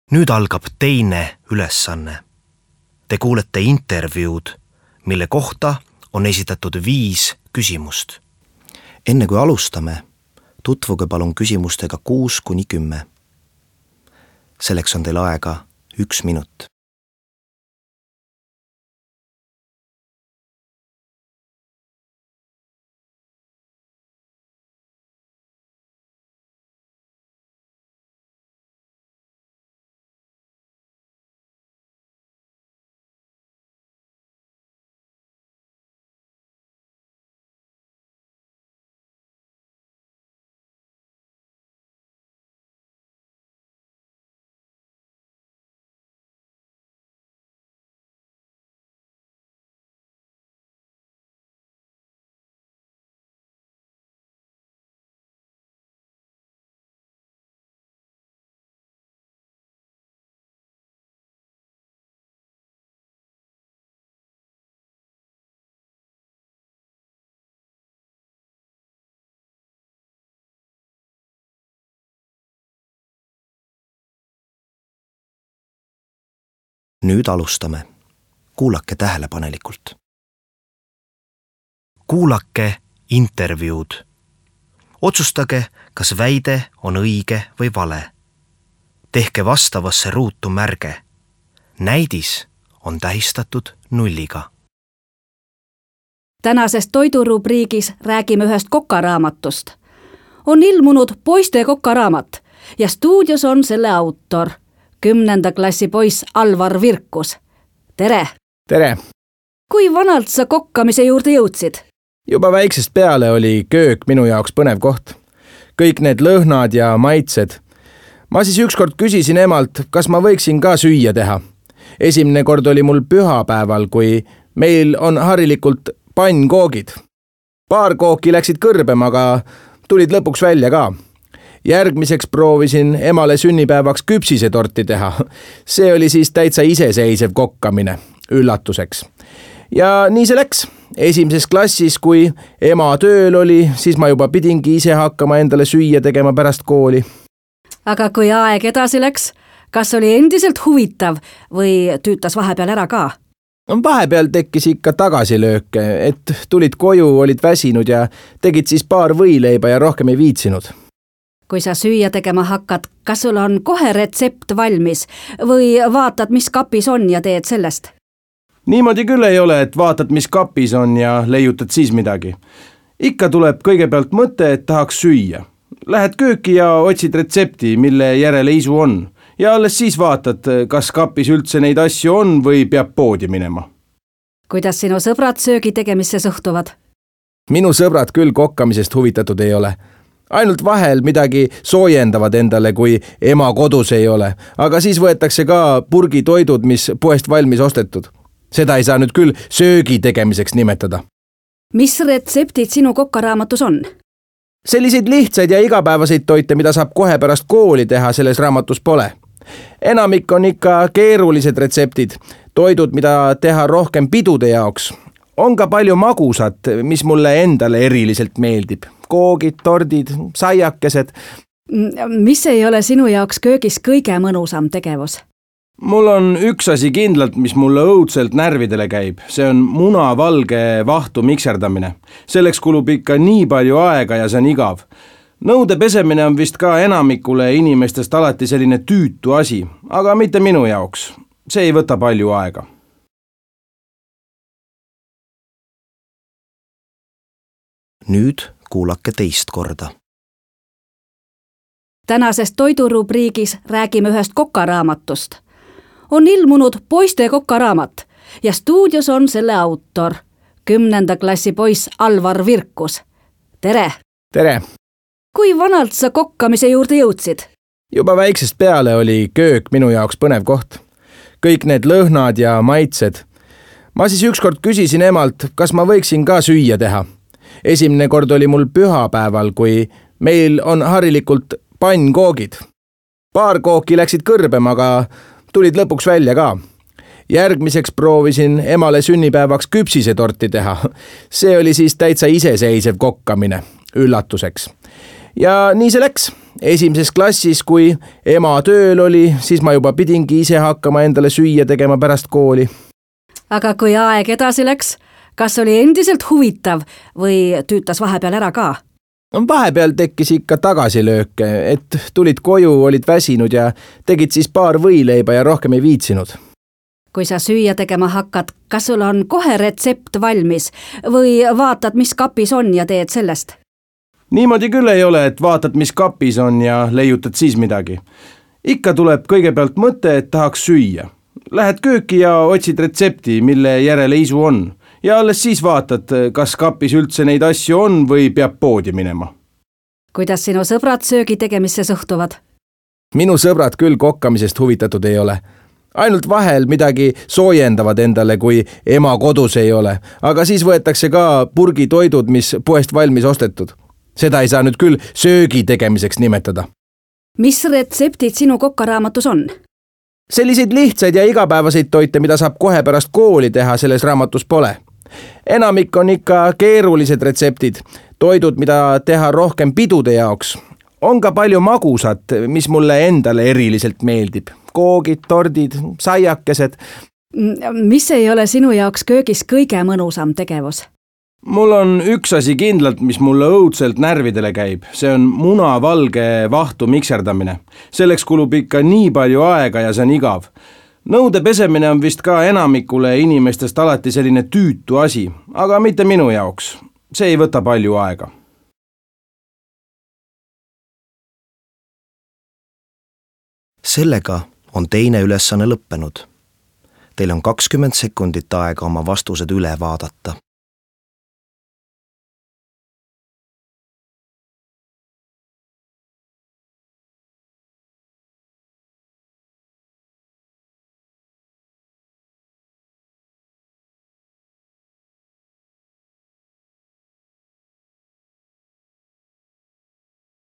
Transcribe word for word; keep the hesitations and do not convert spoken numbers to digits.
Nüüd algab teine ülesanne. Te kuulete intervjuud, mille kohta on esitatud viis küsimust. Enne kui alustame, tutvuge palun küsimustega kuus kuni kümme. Selleks on teil aega üks minut. Nüüd alustame. Kuulake tähelepanelikult. Kuulake intervjuud. Otsustage, kas väide on õige või vale. Tehke vastavasse ruutu märge. Näidis on tähistatud nulliga. Tänases toidurubriigis räägime ühest kokaraamatust. On ilmunud poiste kokaraamat ja stuudios on selle autor. Kümnenda klassi poiss Alvar Virkus. Tere! Tere! Kui vanalt sa kokkamise juurde jõudsid? Juba väiksest peale oli köök minu jaoks põnev koht. Kõik need lõhnad ja maitsed. Ma siis ükskord küsisin emalt, kas ma võiksin ka süüa teha. Esimene kord oli mul pühapäeval, kui meil on harilikult pannkoogid. Paar kooki läksid kõrbema, aga tulid lõpuks välja ka. Järgmiseks proovisin emale sünnipäevaks küpsisetorti teha. See oli siis täitsa iseseisev kokkamine, üllatuseks. Ja nii see läks. Esimeses klassis, kui ema tööl oli, siis ma juba pidingi ise hakkama endale süüa tegema pärast kooli. Aga kui aeg edasi läks, kas oli endiselt huvitav või tüütas vahepeal ära ka? Vahepeal tekkis ikka tagasilööke, et tulid koju, olid väsinud ja tegid siis paar võileiba ja rohkem ei viitsinud. Kui sa süüa tegema hakkad, kas sul on kohe retsept valmis või vaatad, mis kapis on ja teed sellest? Niimoodi küll ei ole, et vaatad, mis kapis on ja leiutad siis midagi. Ikka tuleb kõigepealt mõte, et tahaks süüa. Lähed kööki ja otsid retsepti, mille järele isu on. Ja alles siis vaatad, kas kapis üldse neid asju on või peab poodi minema. Kuidas sinu sõbrad söögi tegemisse suhtuvad? Minu sõbrad küll kokkamisest huvitatud ei ole. Ainult vahel midagi soojendavad endale, kui ema kodus ei ole, aga siis võetakse ka purgitoidud, mis poest valmis ostetud. Seda ei saa nüüd küll söögi tegemiseks nimetada. Mis retseptid sinu kokkaraamatus on? Selliseid lihtsaid ja igapäevaseid toite, mida saab kohe pärast kooli teha, selles raamatus pole. Enamik on ikka keerulised retseptid, toidud, mida teha rohkem pidude jaoks. On ka palju magusat, mis mulle endale eriliselt meeldib. Koogid, tordid, saiakesed. Mis ei ole sinu jaoks köögis kõige mõnusam tegevus? Mul on üks asi kindlalt, mis mulle õudselt närvidele käib. See on munavalge vahtu mikserdamine. Selleks kulub ikka nii palju aega ja see on igav. Nõude pesemine on vist ka enamikule inimestest alati selline tüütu asi, aga mitte minu jaoks. See ei võta palju aega. Nüüd kuulake teist korda. Tänases toidurubriigis räägime ühest kokaraamatust. On ilmunud poiste kokaraamat ja stuudios on selle autor. Kümnenda klassi poiss Alvar Virkus. Tere! Tere! Kui vanalt sa kokkamise juurde jõudsid? Juba väiksest peale oli köök minu jaoks põnev koht. Kõik need lõhnad ja maitsed. Ma siis ükskord küsisin emalt, kas ma võiksin ka süüa teha. Esimene kord oli mul pühapäeval, kui meil on harilikult pannkoogid. Paar kooki läksid kõrbema, aga tulid lõpuks välja ka. Järgmiseks proovisin emale sünnipäevaks küpsisetorti teha. See oli siis täitsa iseseisev kokkamine, üllatuseks. Ja nii see läks. esimeses klassis, kui ema tööl oli, siis ma juba pidingi ise hakkama endale süüa tegema pärast kooli. Aga kui aeg edasi läks, kas oli endiselt huvitav või tüütas vahepeal ära ka? Vahepeal tekkis ikka tagasilööke, et tulid koju, olid väsinud ja tegid siis paar võileiba ja rohkem ei viitsinud. Kui sa süüa tegema hakkad, kas sul on kohe retsept valmis või vaatad, mis kapis on ja teed sellest? Niimoodi küll ei ole, et vaatad, mis kapis on ja leiutad siis midagi. Ikka tuleb kõigepealt mõte, et tahaks süüa. Lähed kööki ja otsid retsepti, mille järele isu on. Ja alles siis vaatad, kas kapis üldse neid asju on või peab poodi minema. Kuidas sinu sõbrad söögi tegemisse suhtuvad? Minu sõbrad küll kokkamisest huvitatud ei ole. Ainult vahel midagi soojendavad endale, kui ema kodus ei ole, aga siis võetakse ka purgitoidud, mis poest valmis ostetud. Seda ei saa nüüd küll söögi tegemiseks nimetada. Mis retseptid sinu kokkaraamatus on? Selliseid lihtsaid ja igapäevaseid toite, mida saab kohe pärast kooli teha, selles raamatus pole. Enamik on ikka keerulised retseptid, toidud, mida teha rohkem pidude jaoks. On ka palju magusat, mis mulle endale eriliselt meeldib. Koogid, tordid, saiakesed. Mis ei ole sinu jaoks köögis kõige mõnusam tegevus? Mul on üks asi kindlalt, mis mulle õudselt närvidele käib. See on munavalge vahtu mikserdamine. Selleks kulub ikka nii palju aega ja see on igav. Nõude pesemine on vist ka enamikule inimestest alati selline tüütu asi, aga mitte minu jaoks. See ei võta palju aega. Sellega on teine ülesanne lõppenud. Teil on kakskümmend sekundit aega oma vastused üle vaadata.